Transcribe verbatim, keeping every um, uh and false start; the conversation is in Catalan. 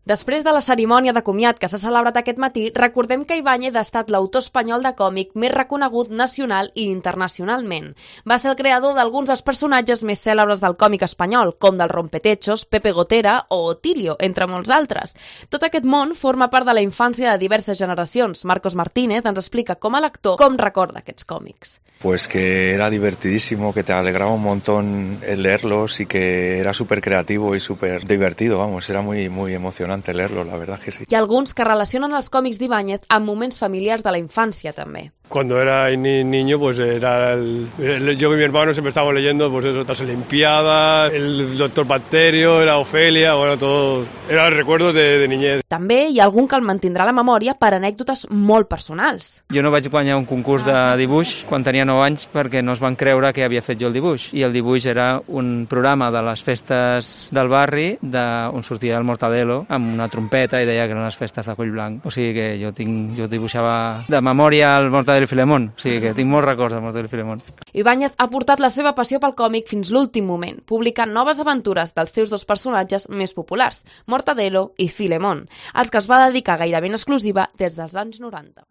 Després de la cerimònia de comiat que s'ha celebrat aquest matí, recordem que Ibáñez ha estat l'autor espanyol de còmic més reconegut nacional i internacionalment. Va ser el creador d'alguns dels personatges més cèlebres del còmic espanyol, com del Rompetechos, Pepe Gotera o Otilio, entre molts altres. Tot aquest món forma part de la infància de diverses generacions. Marcos Martínez ens explica com a lector com recorda aquests còmics. Pues que era divertidísimo, que te alegraba un montón el leerlos y que era súper creativo y súper divertido, vamos, era muy, muy emocionante leerlo, la verdad que sí. Hi ha alguns que relacionen els còmics d'Ibáñez amb moments familiars de la infància, també. Cuando era ni niño, pues era el, el, yo y mi hermano siempre estábamos leyendo pues eso, otras Olimpiadas, el Doctor Bacterio, la Ofelia, bueno, todo, eran recuerdos de, de niñez. També hi ha algun que el mantindrà a la memòria per anècdotes molt personals. Jo no vaig guanyar un concurs de dibuix quan tenia nou anys perquè no es van creure que havia fet jo el dibuix. I el dibuix era un programa de les festes del barri de, on sortia el Mortadelo amb una trompeta i deia que eren les festes de Collblanc. O sigui que jo, tinc, jo dibuixava de memòria el Mortadelo i Filemón, o sigui que tinc molts records de Mortadelo i Filemón. Ibáñez ha portat la seva passió pel còmic fins l'últim moment, publicant noves aventures dels seus dos personatges més populars, Mortadelo i Filemón, als que es va dedicar gairebé en exclusiva des dels anys noranta.